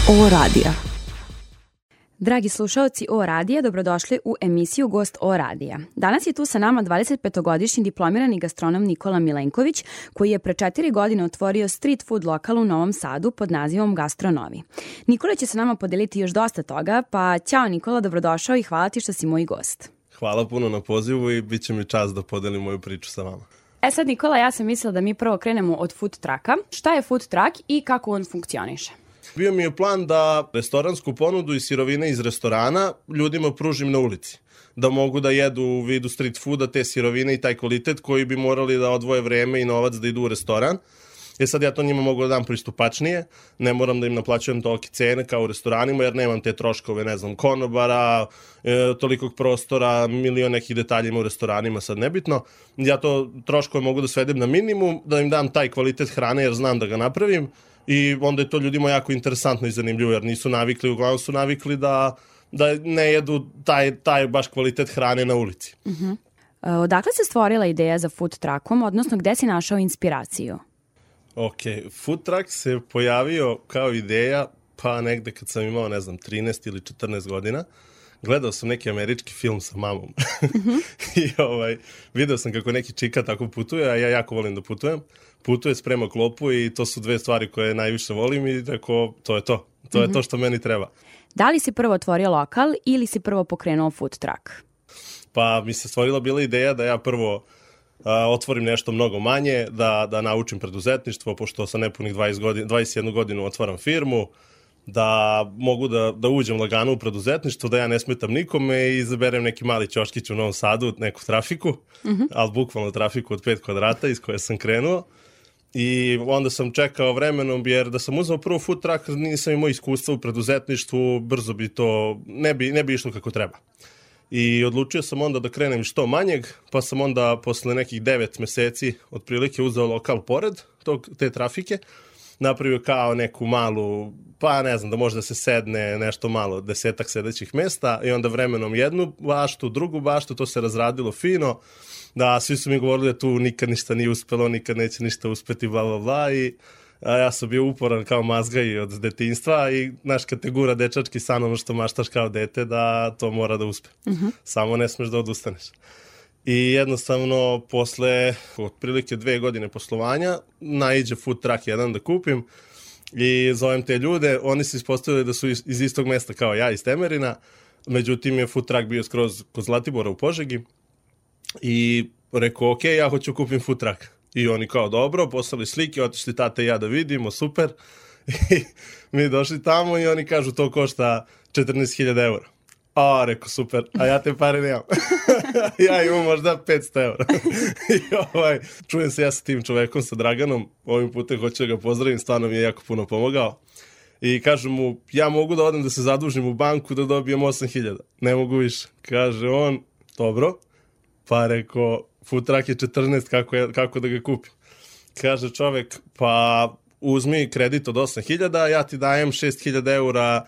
O radija. Dragi slušaoci O radija, dobrodošli u emisiju Gost O radija. Danas je tu sa nama 25-godišnji diplomirani gastronom Nikola Milenković, koji je pre 4 godine otvorio street food lokal u Novom Sadu pod nazivom Gastronovi. Nikola će sa nama podeliti još dosta toga, pa ćao Nikola, dobrodošao i hvala ti što si moj gost. Hvala puno na pozivu i bit će mi čast da podelim moju priču sa vama. Sad Nikola, ja sam mislila da mi prvo krenemo od food trucka. Šta je food truck i kako on funkcioniše? Bio mi je plan da restoransku ponudu i sirovine iz restorana ljudima pružim na ulici. Da mogu da jedu u vidu street fooda te sirovine i taj kvalitet koji bi morali da odvoje vreme i novac da idu u restoran. Sad ja to njima mogu da dam pristupačnije, ne moram da im naplaćujem tolike cene kao u restoranima jer nemam te troškove, konobara, tolikog prostora, milion nekih detalja ima u restoranima, sad nebitno. Ja to troškove mogu da svedem na minimum, da im dam taj kvalitet hrane jer znam da ga napravim i onda je to ljudima jako interesantno i zanimljivo jer nisu navikli, uglavnom su navikli da ne jedu taj baš kvalitet hrane na ulici. Odakle se stvorila ideja za food truckom, odnosno gde si našao inspiraciju? Ok, food truck se pojavio kao ideja pa negde kad sam imao, 13 ili 14 godina. Gledao sam neki američki film sa mamom i video sam kako neki čika tako putuje, a ja jako volim da putujem. Putuje, sprema klopu i to su dve stvari koje najviše volim i tako, to je to. To je to što meni treba. Da li si prvo otvorio lokal ili si prvo pokrenuo food truck? Pa mi se stvorila bila ideja da ja prvo otvorim nešto mnogo manje, da naučim preduzetništvo, pošto sa nepunih 21 godinu otvaram firmu, da mogu da uđem lagano u preduzetništvo, da ja ne smetam nikome i izaberem neki mali ćoškić u Novom Sadu, neku trafiku, ali bukvalno trafiku od 5 kvadrata iz koje sam krenuo. I onda sam čekao vremenom, jer da sam uzeo prvo food truck, nisam imao iskustva u preduzetništvu, brzo bi to, ne bi išlo kako treba. I odlučio sam onda da krenem što manjeg, pa sam onda posle nekih 9 meseci otprilike uzeo lokal pored te trafike, napravio kao neku malu, pa ne znam, da može da se sedne nešto malo, 10-ak sedećih mesta i onda vremenom jednu baštu, drugu baštu, to se razradilo fino, da svi su mi govorili da tu nikad ništa nije uspelo, nikad neće ništa uspeti, bla bla bla i ja sam bio uporan kao mazga i od detinjstva i naš kategura dečački san, ono što maštaš kao dete, da to mora da uspe. Samo ne smeš da odustaneš. I jednostavno, posle otprilike 2 godine poslovanja, naiđe food truck jedan da kupim i zovem te ljude. Oni se ispostavili da su iz istog mesta kao ja, iz Temerina. Međutim, je food truck bio skroz kod Zlatibora u Požegi. I rekao, ok, ja hoću kupim food truck. I oni kao, dobro, poslali slike, otišli tata i ja da vidimo, super. I mi došli tamo i oni kažu, to košta 14.000 eura. A, rekao, super, a ja te pare nemam. Ja imam možda 500 eura. I čujem se ja sa tim čovekom, sa Draganom, ovim putem hoću da ga pozdravim, stvarno mi je jako puno pomogao. I kažem mu, ja mogu da odem da se zadužim u banku da dobijem 8.000. Ne mogu više. Kaže on, dobro. Pa rekao, food truck je 14, kako da ga kupim? Kaže čovek, pa uzmi kredit od 8.000, ja ti dajem 6.000 eura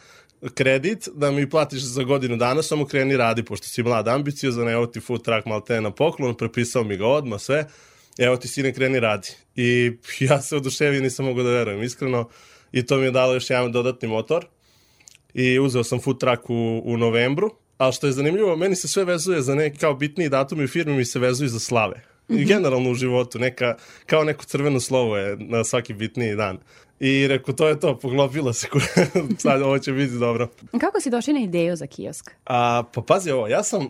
kredit da mi platiš za godinu dana, samo kreni radi, pošto si mlad ambiciozan, evo ti food truck malo te na poklon, prepisao mi ga odmah sve, evo ti sine kreni radi. I ja se oduševio, nisam mogu da verujem, iskreno, i to mi je dalo još jedan dodatni motor i uzeo sam food truck u novembru. Ali što je zanimljivo, meni se sve vezuje za neki kao bitniji datumi u firmi, mi se vezuju za slave. I generalno u životu, kao neko crveno slovo je na svaki bitniji dan. I rekao, to je to, poglopila se, sad ovo će biti dobro. Kako si došli na ideju za kiosk? Pa pazi ovo, ja sam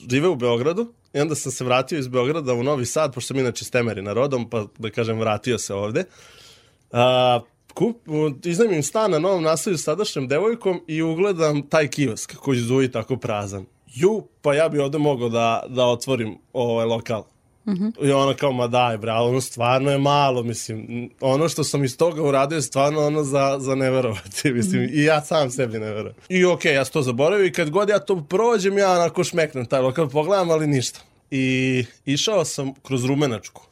živeo u Beogradu i onda sam se vratio iz Beograda u Novi Sad, pošto sam inače s Temerina rodom, pa da kažem vratio se ovde. Iznajmim stan na Novom naselju s tadašnjom devojkom i ugledam taj kiosk koji zvuji tako prazan. Pa ja bi ovde mogao da otvorim ovaj lokal. I ona kao, ma daj bre, ali ono stvarno je malo, mislim, ono što sam iz toga uradio je stvarno ono za neverovati, mislim, i ja sam sebi ne verujem. I okej, ja sam to zaboravio i kad god ja to prođem, ja onako šmeknem taj lokal, pogledam, ali ništa. I išao sam kroz Rumenačku.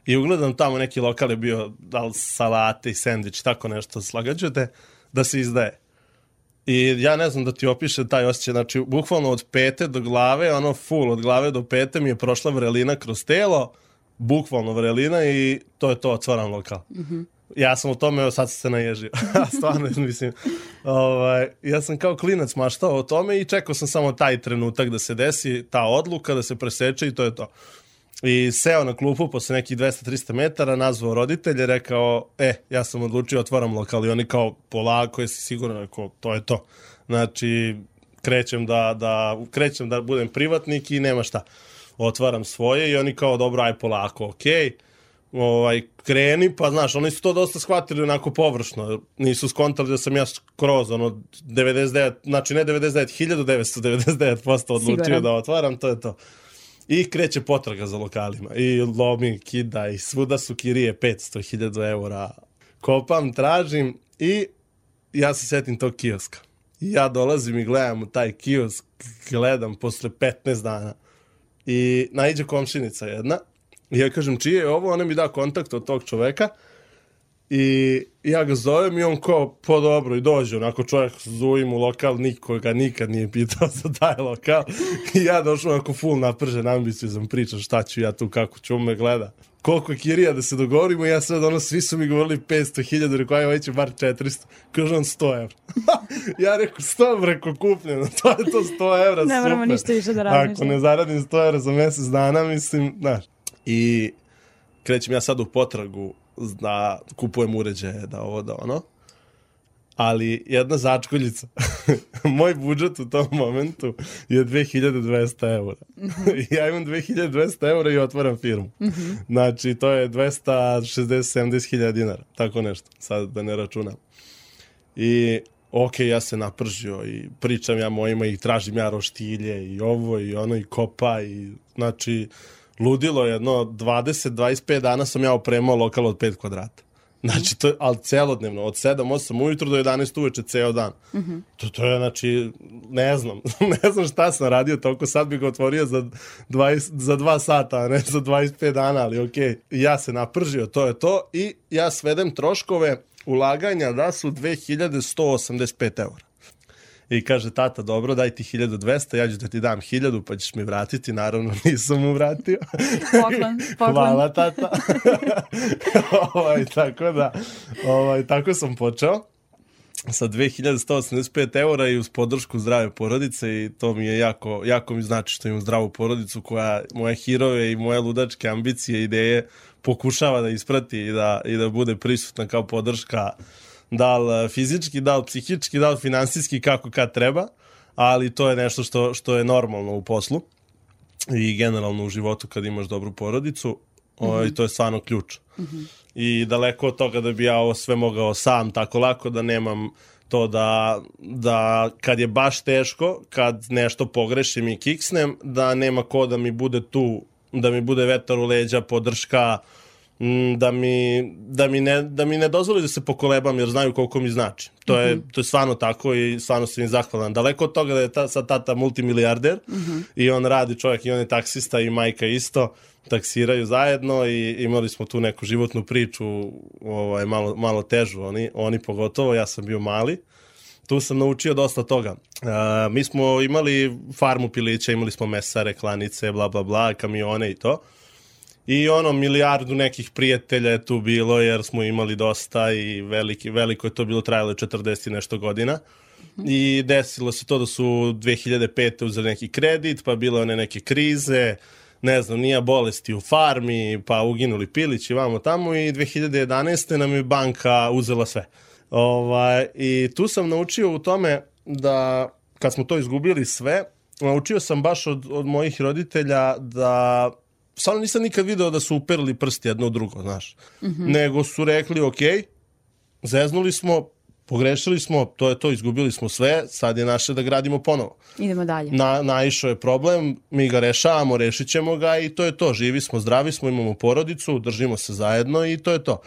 I ugledam tamo neki lokal je bio, da li salate i sendvič, tako nešto slagađujete, da se izdaje. I ja ne znam da ti opiše taj osjećaj, znači bukvalno od pete do glave, ono full, od glave do pete mi je prošla vrelina kroz telo, bukvalno vrelina i to je to, otvaram lokal. Ja sam u tome, sad sam se naježio. Stvarno, mislim, ja sam kao klinac maštao o tome i čekao sam samo taj trenutak da se desi, ta odluka, da se preseče i to je to. I seo na klupu posle nekih 200-300 metara, nazvao roditelje, rekao, ja sam odlučio, otvaram lokal. I oni kao, polako, jesi siguran, rekao, to je to. Znači, krećem da budem privatnik i nema šta. Otvaram svoje i oni kao, dobro, aj polako, okej. Kreni, pa znaš, oni su to dosta shvatili onako površno, nisu skontali da sam ja skroz 99, znači ne 99, 1999% odlučio da otvaram, to je to. I kreće potraga za lokalima i lomi, kida i svuda su kirije 500.000 eura. Kopam, tražim i ja se setim tog kioska. I ja dolazim i gledam u taj kiosk, gledam posle 15 dana i naiđe komšinica jedna. I ja kažem, čije je ovo? Ona mi da kontakt od tog čoveka i ja ga zovem i on kao, po dobro, i dođe. Onako čovjek zovim u lokal, niko ga nikad nije pitao za taj lokal. I ja došao onako full napržen, ambiciju sam pričao šta ću ja tu, kako ću me gleda. Koliko je kirija da se dogovorimo, ja sad svi su mi govorili 500.000, rekao, aj će bar 400. Kaže on 100 evra. Ja rekao, 100 preko kupljeno, to je to 100 evra, super. Ne moramo ništa više da razmišljamo. Ako ne zaradim 100 evra za mjesec dana, mislim, znaš. I krećem ja sad u potragu da kupujem uređaje, da ovo, da ono. Ali jedna začkoljica. Moj budžet u tom momentu je 2200 eura. Ja imam 2200 eura i otvaram firmu. Znači, to je 260-70 dinara. Tako nešto. Sad da ne računam. I ja se napržio i pričam ja mojima i tražim ja roštilje i ovo i ono i kopa i znači ludilo jedno 20-25 dana sam ja opremao lokal od 5 kvadrata. Znači, to je, ali celodnevno, od 7-8 ujutro do 11 uveče, ceo dan. To je, znači, ne znam šta sam radio toliko, sad bih ga otvorio za 2 sata, a ne za 25 dana, ali okej. Ja se napržio, to je to, i ja svedem troškove ulaganja da su 2185 eura. I kaže, tata, dobro, daj ti 1200, ja ću da ti dam 1000, pa ćeš mi vratiti. Naravno, nisam mu vratio. Poklon. Hvala, tata. Tako da, tako sam počeo sa 2185 eura i uz podršku zdrave porodice i to mi je jako mi znači što imam zdravu porodicu koja moje hirove i moje ludačke ambicije, ideje pokušava da isprati i da bude prisutna kao podrška, da li fizički, da li psihički, da li finansijski, kako kad treba, ali to je nešto što je normalno u poslu i generalno u životu kad imaš dobru porodicu, i to je stvarno ključ. I daleko od toga da bi ja ovo sve mogao sam tako lako, da nemam to da kad je baš teško, kad nešto pogrešim i kiksnem, da nema ko da mi bude tu, da mi bude vetar u leđa, podrška, da mi ne dozvoli da se pokolebam jer znaju koliko mi znači. To je stvarno tako i stvarno sam im zahvalan. Daleko od toga da je sad tata multimilijarder i on radi čovjek i on je taksista i majka isto, taksiraju zajedno i imali smo tu neku životnu priču malo težu, oni pogotovo, ja sam bio mali. Tu sam naučio dosta toga. Mi smo imali farmu pilića, imali smo mesare, klanice, bla bla bla, kamione i to. I milijardu nekih prijatelja je tu bilo jer smo imali dosta i veliko je to bilo, trajalo 40 i nešto godina. I desilo se to da su 2005. uzeli neki kredit, pa bile one neke krize, ne znam, nije bolesti u farmi, pa uginuli pilići vamo tamo i 2011. nam je banka uzela sve. I tu sam naučio u tome da kad smo to izgubili sve, naučio sam baš od mojih roditelja da stvarno nisam nikad video da su uperili prsti jedno u drugo, znaš. Nego su rekli, okej, zeznuli smo, pogrešili smo, to je to, izgubili smo sve, sad je naše da gradimo ponovo. Idemo dalje. Naišao je problem, mi ga rešavamo, rešit ćemo ga i to je to. Živi smo, zdravi smo, imamo porodicu, držimo se zajedno i to je to.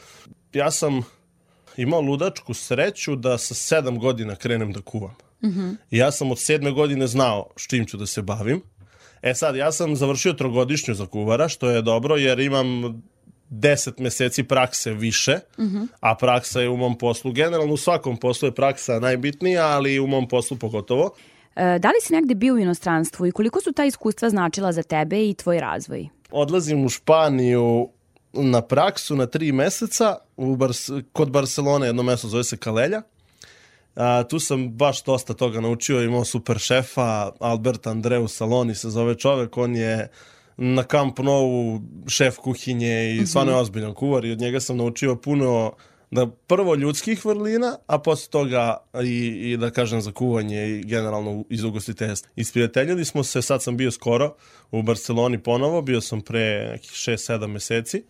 Ja sam imao ludačku sreću da sa 7 godina krenem da kuvam. I ja sam od 7. godine znao s čim ću da se bavim. Sad, ja sam završio 3-godišnju za kuvara, što je dobro jer imam 10 meseci prakse više, a praksa je u mom poslu. Generalno u svakom poslu je praksa najbitnija, ali u mom poslu pogotovo. Da li si negde bio u inostranstvu i koliko su ta iskustva značila za tebe i tvoj razvoj? Odlazim u Španiju na praksu na 3 meseca kod Barcelone, jedno mesto zove se Calella. Tu sam baš dosta toga naučio, imao super šefa, Albert Andreu Saloni se zove čovek, on je na Camp Nou šef kuhinje i stvarno je ozbiljan kuvar i od njega sam naučio puno da prvo ljudskih vrlina, a posle toga i da kažem za kuvanje i generalno iz ugostiteljstva. Isprijateljili smo se, sad sam bio skoro u Barceloni ponovo, bio sam pre nekih 6-7 meseci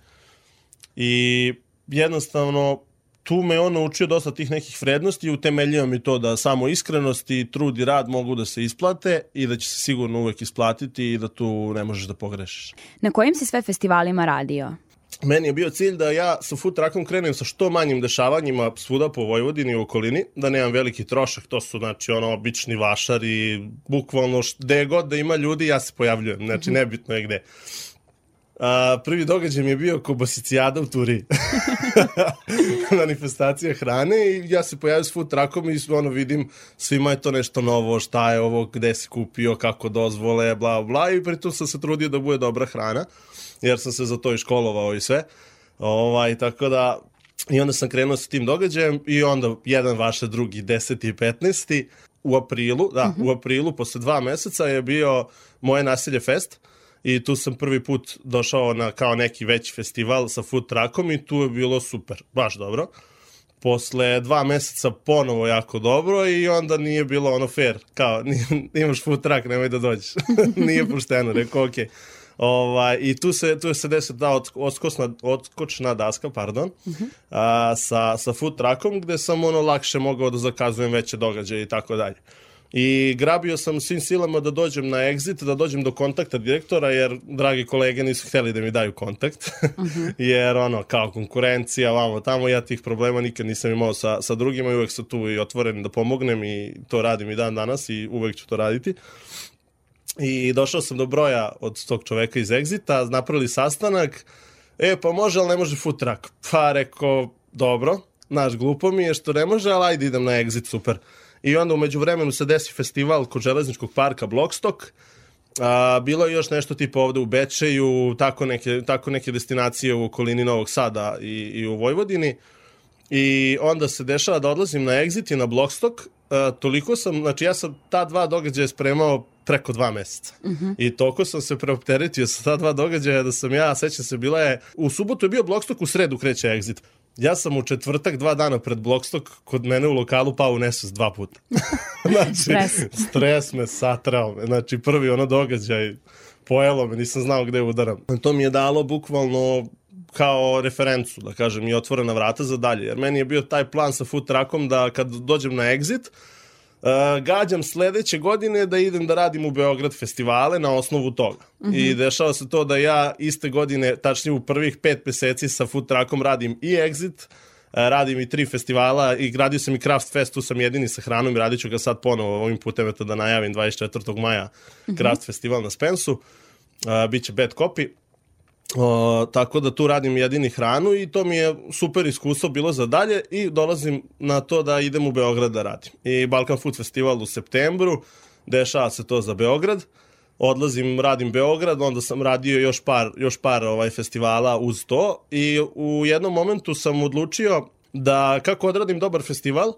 i jednostavno tu me on naučio dosta tih nekih vrednosti i utemeljio mi to da samo iskrenost i trud i rad mogu da se isplate i da će se sigurno uvek isplatiti i da tu ne možeš da pogrešiš. Na kojim si sve festivalima radio? Meni je bio cilj da ja sa food truckom krenem sa što manjim dešavanjima svuda po Vojvodini i u okolini, da nemam veliki trošak, to su znači obični vašari, bukvalno gde god da ima ljudi ja se pojavljujem, znači nebitno je gde. Prvi događaj mi je bio Kobasicijada u Turiji. Manifestacija hrane i ja se pojavim s food truckom i vidim svima je to nešto novo, šta je ovo, gde si kupio, kako dozvole, bla bla i pritom sam se trudio da bude dobra hrana jer sam se za to i školovao i sve. Tako da i onda sam krenuo sa tim događajem i onda jedan vaše, drugi, 10. i 15. u aprilu, u aprilu posle 2 meseca je bio Moje naselje fest. I tu sam prvi put došao na kao neki veći festival sa food truckom i tu je bilo super, baš dobro. Posle 2 meseca ponovo jako dobro i onda nije bilo fair, kao imaš food truck, nemoj da dođeš. Nije pošteno, rekao okej. I tu se desi ta odskočna daska, sa food truckom gde sam lakše mogao da zakazujem veće događaje i tako dalje. I grabio sam svim silama da dođem na exit, da dođem do kontakta direktora, jer dragi kolege nisu hteli da mi daju kontakt, jer kao konkurencija, vamo tamo, ja tih problema nikad nisam imao sa drugima i uvek sam tu i otvoren da pomognem i to radim i dan danas i uvek ću to raditi. I došao sam do broja od tog čoveka iz Exita, napravili sastanak, pa može, ali ne može food truck. Pa rekao, dobro, glupo mi je što ne može, ali ajde idem na Exit, super. I onda umeđu vremenu se desi festival kod železničkog parka Blockstock. Bilo je još nešto tipa ovde u Bečeju, tako neke destinacije u okolini Novog Sada i u Vojvodini. I onda se dešava da odlazim na Exit i na Blockstock. Toliko sam, znači ja sam ta 2 događaja spremao preko 2 meseca. I toliko sam se preopteretio sa ta 2 događaja da sam sećam se, u subotu je bio Blockstock, u sredu kreće Exit. Ja sam u četvrtak 2 dana pred Blockstock kod mene u lokalu pao u nesvest 2 puta. Znači, stres me satrao. Znači, prvi događaj pojelo me, nisam znao gde udaram. To mi je dalo bukvalno kao referencu, da kažem, i otvorena vrata za dalje. Jer meni je bio taj plan sa food truckom da kad dođem na Exit, gađam sledeće godine da idem da radim u Beograd festivale na osnovu toga. I dešava se to da ja iste godine, tačnije u prvih 5 meseci sa food truckom radim i Exit, radim i 3 festivala i radio sam i Craft Fest, tu sam jedini sa hranom i radit ću ga sad ponovo ovim putem da najavim 24. maja Craft Festival na Spensu. Biće Bad Copy. Tako da tu radim jedini hranu i to mi je super iskustvo bilo za dalje i dolazim na to da idem u Beograd da radim. I Balkan Food Festival u septembru, dešava se to za Beograd, odlazim, radim Beograd, onda sam radio još par festivala uz to i u jednom momentu sam odlučio da kako odradim dobar festival,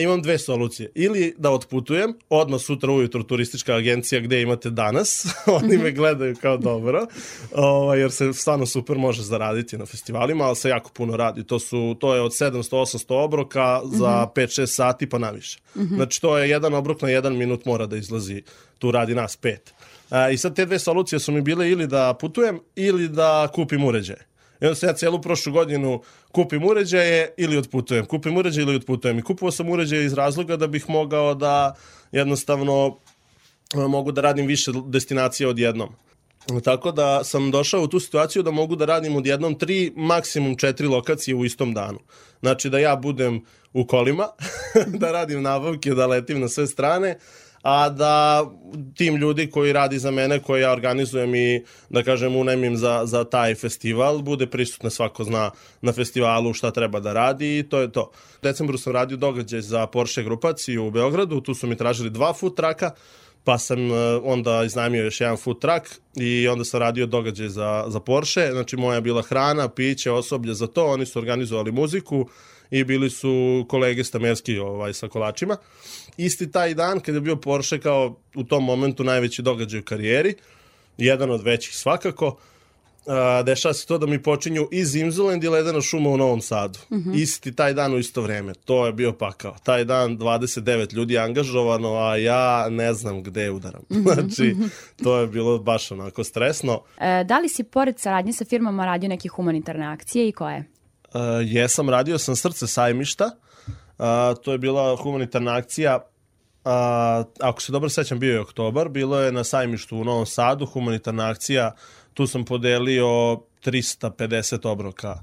imam 2 solucije. Ili da otputujem, odmah sutra ujutro turistička agencija gde imate danas, oni me gledaju kao dobro, jer se stvarno super može zaraditi na festivalima, ali se jako puno radi. To je od 700-800 obroka za 5-6 sati pa naviše. Znači to je jedan obrok na 1 minut mora da izlazi, tu radi nas 5. I sad te 2 solucije su mi bile ili da putujem ili da kupim uređaje. I onda sam ja cijelu prošlu godinu kupim uređaje ili otputujem. I kupovao sam uređaje iz razloga da bih mogao da jednostavno mogu da radim više destinacija odjednom. Tako da sam došao u tu situaciju da mogu da radim odjednom 3, maksimum 4 lokacije u istom danu. Znači da ja budem u kolima, da radim nabavke, da letim na sve strane, a da tim ljudi koji radi za mene, koji ja organizujem i da kažem unajmim za taj festival, bude prisutno, svako zna na festivalu šta treba da radi i to je to. U decembru sam radio događaj za Porsche grupaciju u Beogradu, tu su mi tražili 2 food trucka, pa sam onda iznajmio još jedan food truck i onda sam radio događaj za Porsche. Znači moja je bila hrana, piće, osoblje za to, oni su organizovali muziku i bili su kolege stamerski sa kolačima. Isti taj dan kad je bio Porsche kao u tom momentu najveći događaj u karijeri, jedan od većih svakako, dešava se to da mi počinju i Zimzelend i Ledena šuma u Novom Sadu. Isti taj dan u isto vreme. To je bio pakao. Taj dan 29 ljudi angažovano, a ja ne znam gde udaram. Znači, to je bilo baš onako stresno. Da li si pored saradnje sa firmama radio neke humanitarne akcije i koje? Jesam, radio sam Srce sajmišta. To je bila humanitarna akcija. Ako se dobro sećam, bio je oktobar. Bilo je na sajmištu u Novom Sadu, humanitarna akcija. Tu sam podelio 350 obroka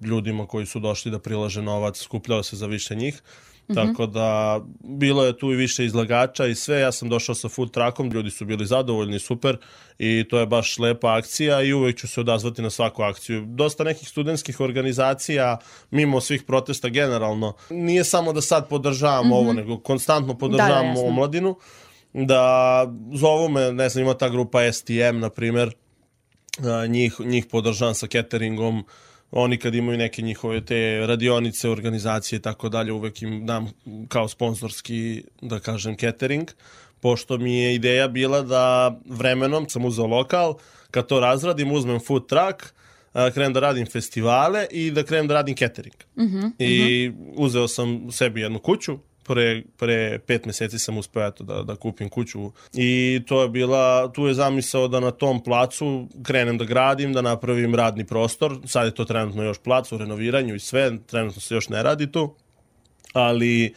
ljudima koji su došli da prilaže novac, skupljao se za više njih. Tako da bilo je tu i više izlagača i sve. Ja sam došao sa food truckom, ljudi su bili zadovoljni, super, i to je baš lepa akcija i uvek ću se odazvati na svaku akciju. Dosta nekih studentskih organizacija, mimo svih protesta generalno, nije samo da sad podržavam ovo, nego konstantno podržavam omladinu. Da zovu me, ne znam, ima ta grupa STM, na primjer, njih podržavam sa cateringom. Oni kad imaju neke njihove te radionice, organizacije i tako dalje, uvek im dam kao sponzorski, da kažem, catering, pošto mi je ideja bila da vremenom sam uzeo lokal, kad to razradim, uzmem food truck, krenem da radim festivale i da krenem da radim catering. I uzeo sam sebi jednu kuću, pre 5 meseci sam uspeo da kupim kuću i to je bila, tu je zamisao da na tom placu krenem da gradim, da napravim radni prostor. Sad je to trenutno još plac u renoviranju i sve, trenutno se još ne radi tu, ali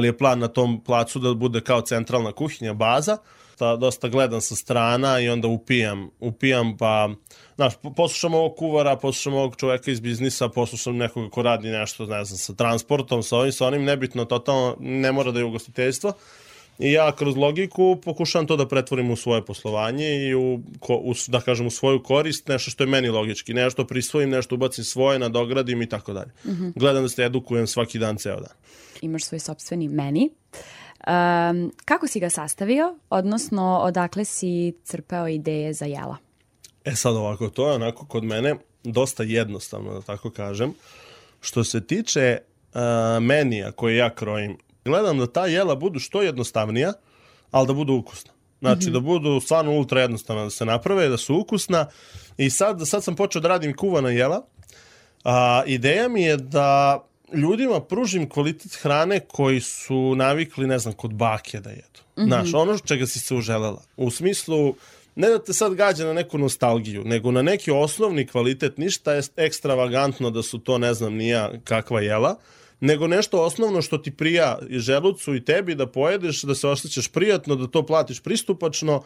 je plan na tom placu da bude kao centralna kuhinja, baza. Dosta gledam sa strana i onda upijam pa, znaš, poslušam ovog kuvara, poslušam ovog čoveka iz biznisa, poslušam nekoga ko radi nešto, ne znam, sa transportom, sa ovim, nebitno, totalno, ne mora da je ugostiteljstvo. I ja kroz logiku pokušavam to da pretvorim u svoje poslovanje i da kažem u svoju korist, nešto što je meni logički, nešto prisvojim, nešto ubacim svoje, nadogradim i tako dalje. Gledam da se edukujem svaki dan, ceo dan. Imaš svoj sopstveni meni. Kako si ga sastavio, odnosno odakle si crpeo ideje za jela? Sad ovako, to je onako kod mene dosta jednostavno, da tako kažem. Što se tiče menija koje ja krojim, gledam da ta jela budu što jednostavnija, ali da budu ukusna. Znači da budu stvarno ultra jednostavna, da se naprave, da su ukusna. I sad sam počeo da radim kuvana jela. Ideja mi je da ljudima pružim kvalitet hrane koji su navikli, ne znam, kod bake da jedu. Znaš, ono čega si se uželela. U smislu, ne da te sad gađa na neku nostalgiju, nego na neki osnovni kvalitet, ništa je ekstravagantno da su to, ne znam, nija kakva jela, nego nešto osnovno što ti prija i želucu i tebi da pojedeš, da se osjećaš prijatno, da to platiš pristupačno,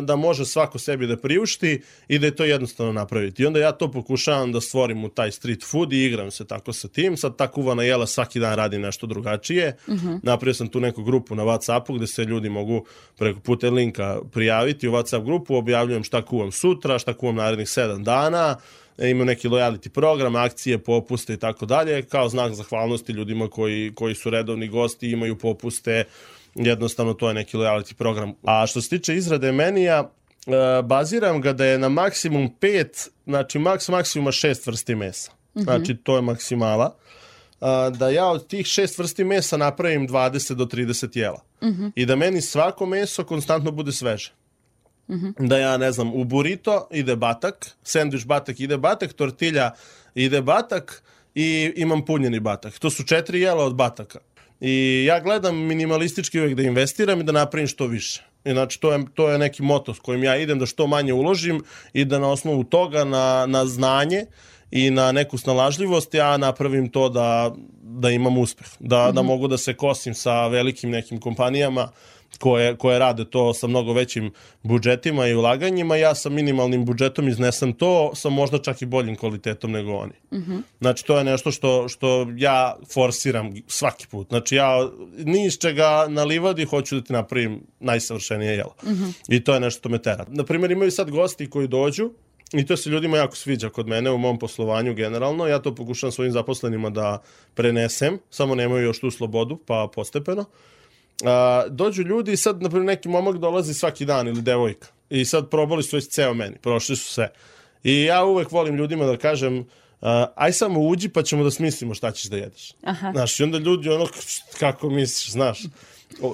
da može svako sebi da priušti i da je to jednostavno napraviti. I onda ja to pokušavam da stvorim u taj street food i igram se tako sa tim. Sad ta kuvana jela svaki dan radi nešto drugačije. Napravio sam tu neku grupu na WhatsAppu gde se ljudi mogu preko putem linka prijaviti u WhatsApp grupu, objavljujem šta kuvam sutra, šta kuvam narednih 7 dana, imaju neki lojality program, akcije, popuste i tako dalje, kao znak zahvalnosti ljudima koji su redovni gosti, imaju popuste, jednostavno to je neki lojality program. A što se tiče izrade menija, baziram ga da je na maksimum 5, znači maksimuma 6 vrsti mesa. Znači to je maksimala. Da ja od tih 6 vrsti mesa napravim 20 do 30 jela. I da meni svako meso konstantno bude sveže. Da ja, ne znam, u burrito ide batak, sendvič batak ide batak, tortilja ide batak i imam punjeni batak. To su 4 jela od bataka. I ja gledam minimalistički uvijek da investiram i da napravim što više. I znači to je neki moto s kojim ja idem, da što manje uložim i da na osnovu toga na znanje i na neku snalažljivost ja napravim to da imam uspeh. Da mogu da se kosim sa velikim nekim kompanijama koje rade to sa mnogo većim budžetima i ulaganjima. Ja sa minimalnim budžetom iznesem to sa možda čak i boljim kvalitetom nego oni. Znači to je nešto što ja forsiram svaki put. Znači ja ni iz čega na livadi hoću da ti napravim najsavršenije jelo. I to je nešto što me tera. Naprimjer, imaju sad gosti koji dođu i to se ljudima jako sviđa kod mene u mom poslovanju generalno. Ja to pokušam svojim zaposlenima da prenesem, samo nemaju još tu slobodu, pa postepeno. dođu ljudi i sad, naprimjer, neki momak dolazi svaki dan ili devojka i sad probali su već ceo meni, prošli su sve. I ja uvek volim ljudima da kažem, aj samo uđi pa ćemo da smislimo šta ćeš da jedeš. Znaš, i onda ljudi kako misliš, znaš,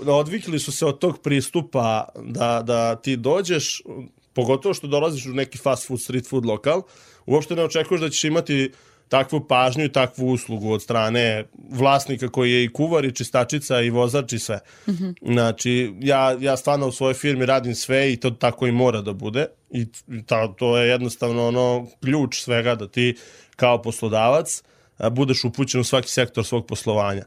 odvikli su se od tog pristupa da ti dođeš, pogotovo što dolaziš u neki fast food, street food lokal, uopšte ne očekuješ da ćeš imati takvu pažnju i takvu uslugu od strane vlasnika koji je i kuvar i čistačica i vozač i sve. Znači, ja stvarno u svojoj firmi radim sve i to tako i mora da bude i to je jednostavno ključ svega da ti kao poslodavac budeš upućen u svaki sektor svog poslovanja.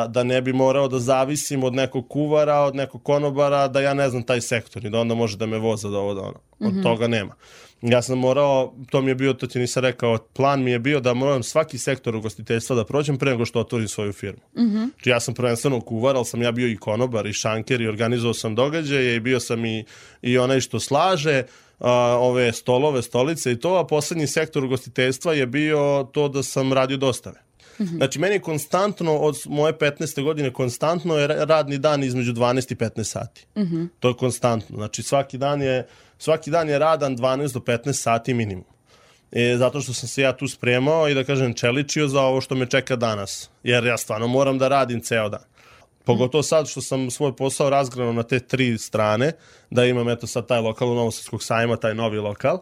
Da ne bi morao da zavisim od nekog kuvara, od nekog konobara, da ja ne znam taj sektor i da onda može da me voza da ovo da ono. Od toga nema. Ja sam morao, to mi je bio, to ti nisam rekao, plan mi je bio da moram svaki sektor ugostiteljstva da prođem pre nego što otvorim svoju firmu. Znači ja sam prvenstveno kuvar, ali sam ja bio i konobar i šanker i organizovao sam događaje i bio sam i onaj što slaže ove stolove, stolice i to, a poslednji sektor ugostiteljstva je bio to da sam radio dostave. Znači, meni je konstantno, od moje 15. godine, konstantno je radni dan između 12 i 15 sati. To je konstantno. Znači, svaki dan je radan 12 do 15 sati minimum. Zato što sam se ja tu spremao i da kažem čeličio za ovo što me čeka danas. Jer ja stvarno moram da radim ceo dan. Pogotovo sad što sam svoj posao razgranao na te 3 strane, da imam eto sad taj lokal u Novosadskog sajma, taj novi lokal.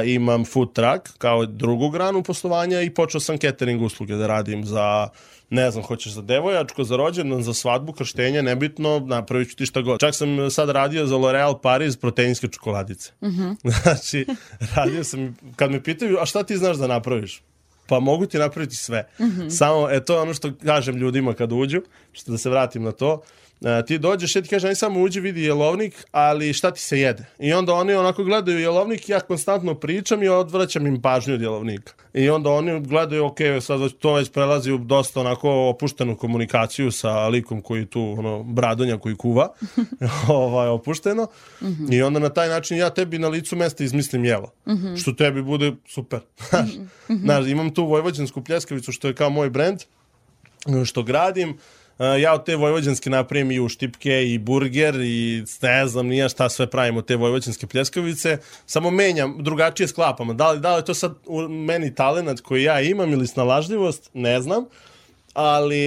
Imam food truck kao drugu granu poslovanja i počeo sam catering usluge da radim za, ne znam, hoćeš za devojačko, za rođendan, za svadbu, krštenje, nebitno, napravit ću ti šta god. Čak sam sad radio za L'Oreal Paris proteinske čokoladice. Znači, radio sam, kad me pitaju, a šta ti znaš da napraviš? Pa mogu ti napraviti sve. Samo, to je ono što kažem ljudima kad uđu, što da se vratim na to. Ti dođeš i ti kaže, aj samo uđi, vidi jelovnik, ali šta ti se jede? I onda oni onako gledaju jelovnik, ja konstantno pričam i odvraćam im pažnju od jelovnika. I onda oni gledaju, ok, sad to već prelazi u dosta onako opuštenu komunikaciju sa likom koji tu, bradonja koji kuva, opušteno. I onda na taj način ja tebi na licu mesta izmislim jelo. Što tebi bude super. Znaš, imam tu vojvođansku pljeskavicu što je kao moj brend, što gradim. Ja od te vojvođanske napravim i uštipke i burger i ne znam nija šta sve pravim od te vojvođanske pljeskavice, samo menjam, drugačije sklapam. Da li je to sad u meni talenat koji ja imam ili snalažljivost, ne znam,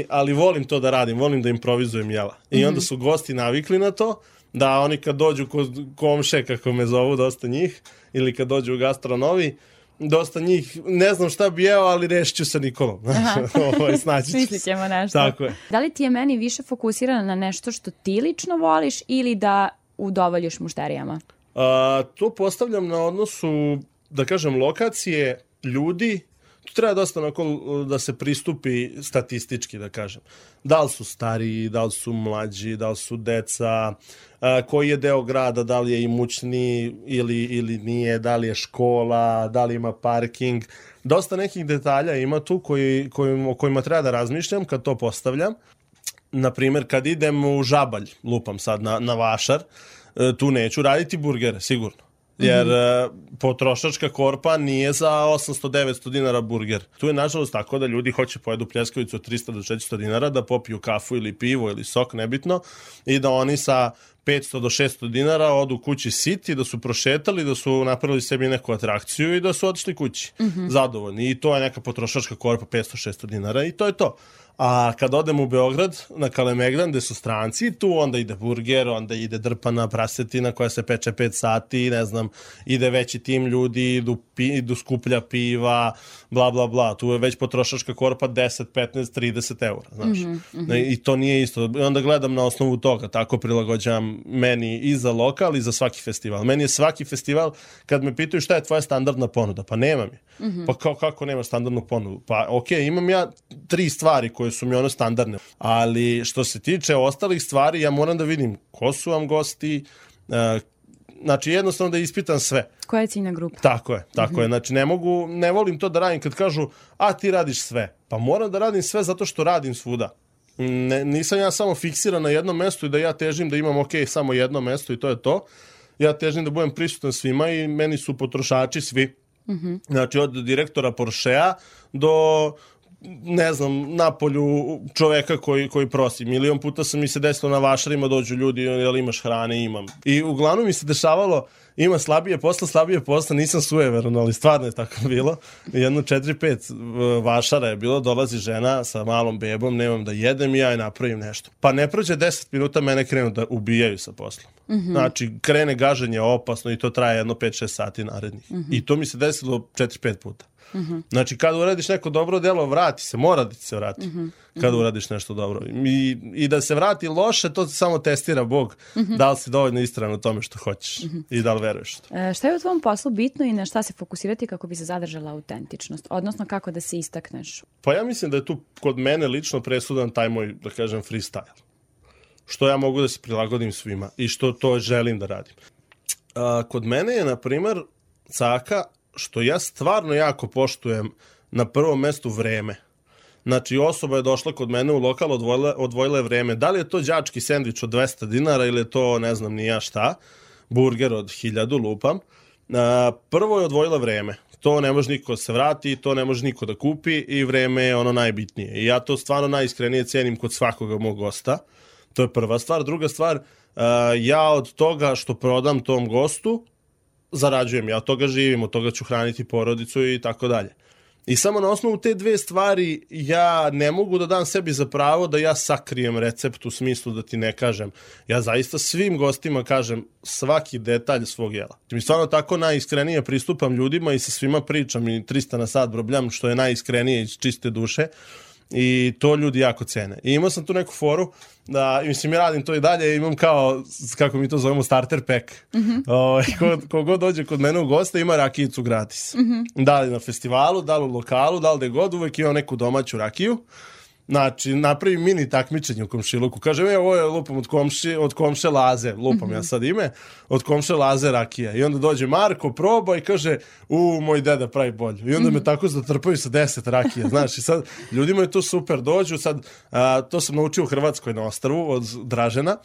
ali volim to da radim, volim da improvizujem jela. I onda su gosti navikli na to, da oni kad dođu kod komše, kako me zovu, dosta njih, ili kad dođu u gastronovi, dosta njih, ne znam šta bi jeo, ali rešit ću sa Nikolom. Snaći ću. Mislit ćemo nešto. Tako je. Da li ti je meni više fokusirana na nešto što ti lično voliš ili da udovoljiš mušterijama? To postavljam na odnosu, da kažem, lokacije, ljudi. Tu treba dosta da se pristupi statistički, da kažem. Da li su stariji, da li su mlađi, da li su deca, koji je deo grada, da li je imućni ili nije, da li je škola, da li ima parking. Dosta nekih detalja ima tu o kojima treba da razmišljam kad to postavljam. Naprimjer, kad idem u Žabalj, lupam sad na Vašar, tu neću raditi burgere, sigurno. Jer potrošačka korpa nije za 800-900 dinara burger. Tu je nažalost tako da ljudi hoće pojedu pljeskavicu od 300 do 400 dinara, da popiju kafu ili pivo ili sok, nebitno, i da oni sa 500 do 600 dinara odu kući siti, da su prošetali, da su napravili sebi neku atrakciju i da su otišli kući zadovoljni. I to je neka potrošačka korpa 500-600 dinara i to je to. A kad odem u Beograd, na Kalemegdan, gde su stranci, tu onda ide burger, onda ide drpana prasetina koja se peče 5 sati, ne znam, ide veći tim ljudi, idu skuplja piva, bla, bla, bla. Tu je već potrošačka korpa 10, 15, 30 eura, znaš. I to nije isto. Onda gledam na osnovu toga, tako prilagođavam meni i za lokal i za svaki festival. Meni je svaki festival, kad me pitaju šta je tvoja standardna ponuda, pa nemam je. Pa kako nemaš standardnu ponudu? Pa okej, imam ja 3 stvari koje su mi standardne, ali što se tiče ostalih stvari, ja moram da vidim ko su vam gosti, znači jednostavno da ispitam sve. Koja je ciljna grupa? Tako je, znači ne volim to da radim kad kažu, a ti radiš sve, pa moram da radim sve zato što radim svuda. Nisam ja samo fiksiran na jednom mestu i da ja težim da imam samo jedno mesto i to je to. Ja težim da budem prisutan svima i meni su potrošači svi. Znači od direktora Porschea do ne znam, napolju čoveka koji prosi. Milion puta sam mi se desilo na vašarima, dođu ljudi, jel imaš hrane, imam. I uglavnom mi se dešavalo, ima slabije posla, nisam sujeveran, ali stvarno je tako bilo. Jedno 4-5 vašara je bilo, dolazi žena sa malom bebom, nemam da jedem i ja je napravim nešto. Pa ne prođe 10 minuta, mene krenu da ubijaju sa poslom. Znači, krene gaženje opasno i to traje jedno 5-6 sati narednih. I to mi se desilo 4-5 puta. Znači, kada uradiš neko dobro delo, vrati se, mora da ti se vrati. Kada uradiš nešto dobro. I da se vrati loše, to samo testira Bog. Da li si dovoljno istran u tome što hoćeš i da li veruješ to. Šta je u tvom poslu bitno i na šta se fokusirati kako bi se zadržala autentičnost? Odnosno, kako da se istakneš? Pa ja mislim da je tu kod mene lično presudan taj moj, da kažem, freestyle. Što ja mogu da se prilagodim svima i što to želim da radim. Kod mene je, na primer, caka što ja stvarno jako poštujem na prvom mestu vreme. Znači, osoba je došla kod mene u lokal, odvojila je vreme. Da li je to đački sendvič od 200 dinara ili je to, ne znam ni ja šta, burger od 1000, lupam. Prvo je odvojila vreme. To ne može niko se vrati, to ne može niko da kupi i vreme je ono najbitnije. I ja to stvarno najiskrenije cenim kod svakoga mog gosta. To je prva stvar. Druga stvar, ja od toga što prodam tom gostu, zarađujem, ja od toga živim, od toga ću hraniti porodicu i tako dalje. I samo na osnovu te dve stvari ja ne mogu da dam sebi za pravo da ja sakrijem recept u smislu da ti ne kažem. Ja zaista svim gostima kažem svaki detalj svog jela. Mi stvarno tako najiskrenije pristupam ljudima i sa svima pričam i 300 na sat brobljam, što je najiskrenije iz čiste duše. I to ljudi jako cene. I imao sam tu neku foru da, mislim, ja radim to i dalje, imam kao, kako mi to zovemo, starter pack. Kogod dođe kod mene u goste ima rakijicu gratis. Da li na festivalu, da li u lokalu, da li gde god, uvek imam neku domaću rakiju. Znači, napravim mini takmičenje u komšiluku. Kažem, ovo je lupam od komše Laze, lupam ja sad ime, od komše Laze rakija. I onda dođe Marko, proba i kaže, moj deda pravi bolju. I onda me tako zatrpaju sa 10 rakija. Znaš, i sad ljudima je to super, dođu. Sad, to sam naučio u Hrvatskoj na ostrvu od Dražena.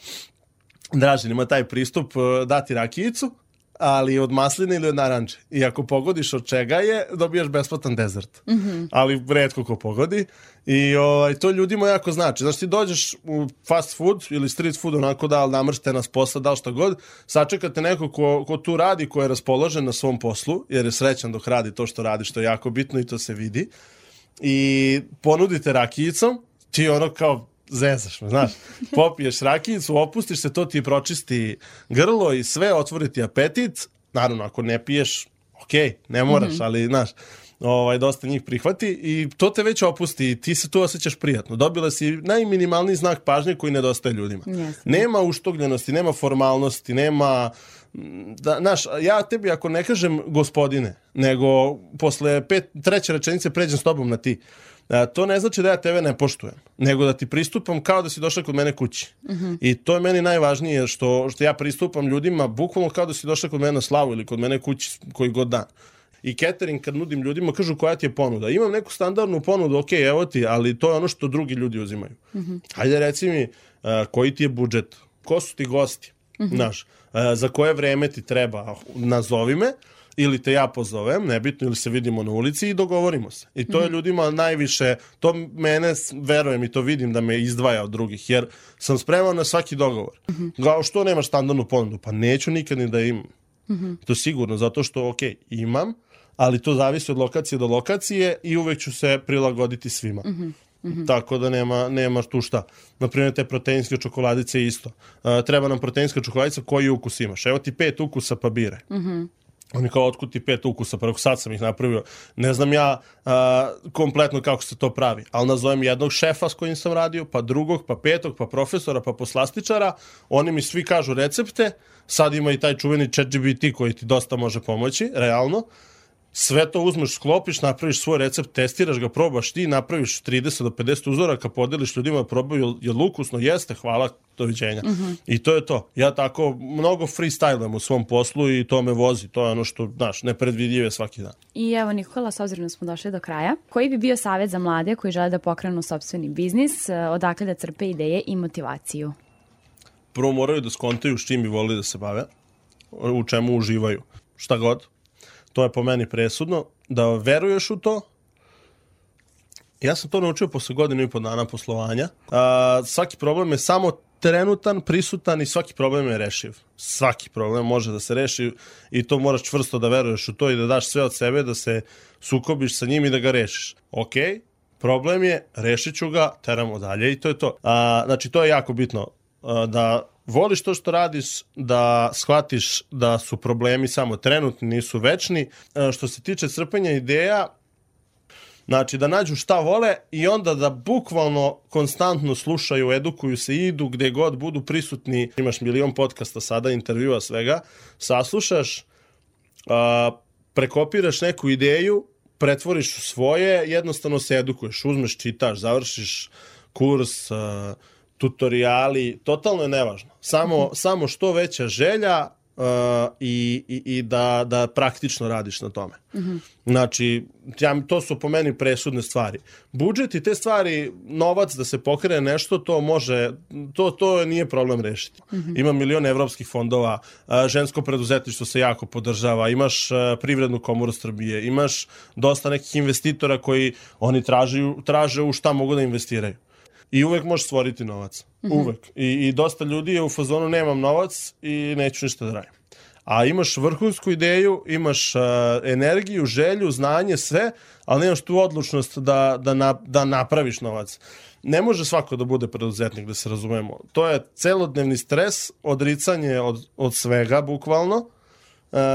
Dražen ima taj pristup dati rakijicu, ali od masline ili od naranče. I ako pogodiš od čega je, dobijaš besplatan dezert. Ali retko ko pogodi. I to ljudima jako znači. Znači, ti dođeš u fast food ili street food, onako da li namršte s posla, da li šta god, sačekate neko ko tu radi, ko je raspoložen na svom poslu, jer je srećan dok radi to što radi, što je jako bitno i to se vidi. I ponudite rakijicom, ti ono kao zezaš me, znaš. Popiješ rakijicu, opustiš se, to ti pročisti grlo i sve, otvori ti apetit. Naravno, ako ne piješ, ne moraš, ali, znaš, dosta njih prihvati i to te već opusti i ti se tu osjećaš prijatno. Dobila si najminimalniji znak pažnje koji nedostaje ljudima. Nema uštogljenosti, nema formalnosti, nema... Znaš, ja tebi ako ne kažem gospodine, nego posle treće rečenice pređem s tobom na ti, to ne znači da ja tebe ne poštujem, nego da ti pristupam kao da si došla kod mene kući. I to je meni najvažnije, što ja pristupam ljudima bukvalno kao da si došla kod mene na slavu ili kod mene kući koji god dan. I catering kad nudim ljudima, kažu koja ti je ponuda. Imam neku standardnu ponudu, evo ti, ali to je ono što drugi ljudi uzimaju. Hajde reci mi koji ti je budžet, ko su ti gosti, znaš, za koje vreme ti treba, nazovi me, ili te ja pozovem, nebitno, ili se vidimo na ulici i dogovorimo se. I to je ljudima najviše, to mene, verujem i to vidim da me izdvaja od drugih, jer sam spreman na svaki dogovor. Kao što nemaš standardnu ponudu? Pa neću nikad ni da imam. To sigurno, zato što, imam, ali to zavisi od lokacije do lokacije i uvek ću se prilagoditi svima. Tako da nema tu šta. Naprimjer, te proteinske čokoladice isto. Treba nam proteinska čokoladica, koji ukus imaš? Evo ti 5 ukusa, pa biraj. Oni kao, otkud ti 5 ukusa, preko sad sam ih napravio. Ne znam ja kompletno kako se to pravi, ali nazovem jednog šefa s kojim sam radio, pa drugog, pa petog, pa profesora, pa poslastičara. Oni mi svi kažu recepte. Sad ima i taj čuveni ChatGPT koji ti dosta može pomoći, realno. Sve to uzmeš, sklopiš, napraviš svoj recept, testiraš ga, probaš ti, napraviš 30 do 50 uzoraka, podeliš ljudima, probaju, je ukusno, jeste, hvala, doviđenja. I to je to. Ja tako mnogo freestylam u svom poslu i to me vozi. To je ono što, znaš, nepredvidljive svaki dan. I evo, Nikola, s obzirom da smo došli do kraja, koji bi bio savjet za mlade koji žele da pokrenu sopstveni biznis, odakle da crpe ideje i motivaciju? Prvo moraju da skontaju s čim bi volili da se bave, u čemu uživaju, šta god. To je po meni presudno, da veruješ u to Ja sam to naučio posle 1.5 dana poslovanja. Svaki problem je samo trenutan, prisutan i svaki problem je rešiv. Svaki problem može da se reši i to moraš čvrsto da veruješ u to i da daš sve od sebe, da se sukobiš sa njim i da ga rešiš. Okej, problem je, rešit ću ga, teramo dalje i to je to. Znači, to je jako bitno. Da voliš to što radiš, da shvatiš da su problemi samo trenutni, nisu večni. Što se tiče crpenja ideja, znači da nađu šta vole i onda da bukvalno konstantno slušaju, edukuju se, idu gde god budu prisutni. Imaš milion podcasta sada, intervjua, svega. Saslušaš, prekopiraš neku ideju, pretvoriš u svoje, jednostavno se edukuješ, uzmeš, čitaš, završiš kurs, tutoriali, totalno je nevažno. Samo što veća želja i da praktično radiš na tome. Znači, to su po meni presudne stvari. Budžet i te stvari, novac da se pokrene nešto, to može, to nije problem rešiti. Ima milion evropskih fondova, žensko preduzetništvo se jako podržava, imaš Privrednu komoru Srbije, imaš dosta nekih investitora koji oni traže u šta mogu da investiraju. I uvek možeš stvoriti novac. Uvek. I dosta ljudi je u fazonu nemam novac i neću ništa da radim. A imaš vrhunsku ideju, imaš energiju, želju, znanje, sve, ali nemaš tu odlučnost da napraviš novac. Ne može svako da bude preduzetnik, da se razumemo. To je celodnevni stres, odricanje od svega, bukvalno,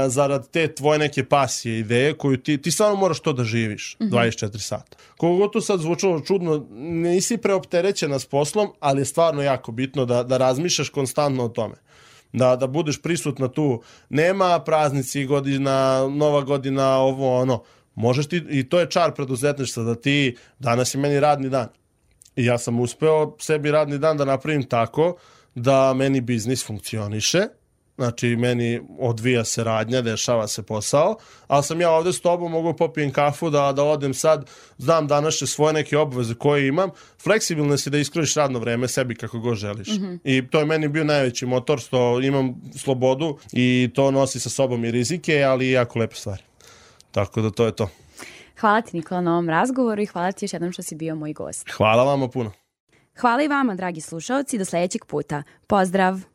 zarad te tvoje neke pasije, ideje koju ti stvarno moraš to da živiš 24 sata. Koliko to sad zvučalo čudno, nisi preopterećena s poslom, ali je stvarno jako bitno da razmišljaš konstantno o tome. Da budeš prisutna tu. Nema praznici, godina, nova godina, ovo, ono. Možeš ti, i to je čar preduzetništva, da ti, danas je meni radni dan. I ja sam uspeo sebi radni dan da napravim tako da meni biznis funkcioniše. Znači, meni odvija se radnja, dešava se posao, ali sam ja ovde s tobom, mogu popijem kafu, da odem sad, znam današnje svoje neke obaveze koje imam, fleksibilno si da iskoriš radno vreme sebi kako god želiš. I to je meni bio najveći motor, što imam slobodu i to nosi sa sobom i rizike, ali i jako lepe stvari. Tako da to je to. Hvala ti, Nikola, na ovom razgovoru i hvala ti još jednom što si bio moj gost. Hvala vama puno. Hvala i vama, dragi slušaoci, do sledećeg puta. Pozdrav!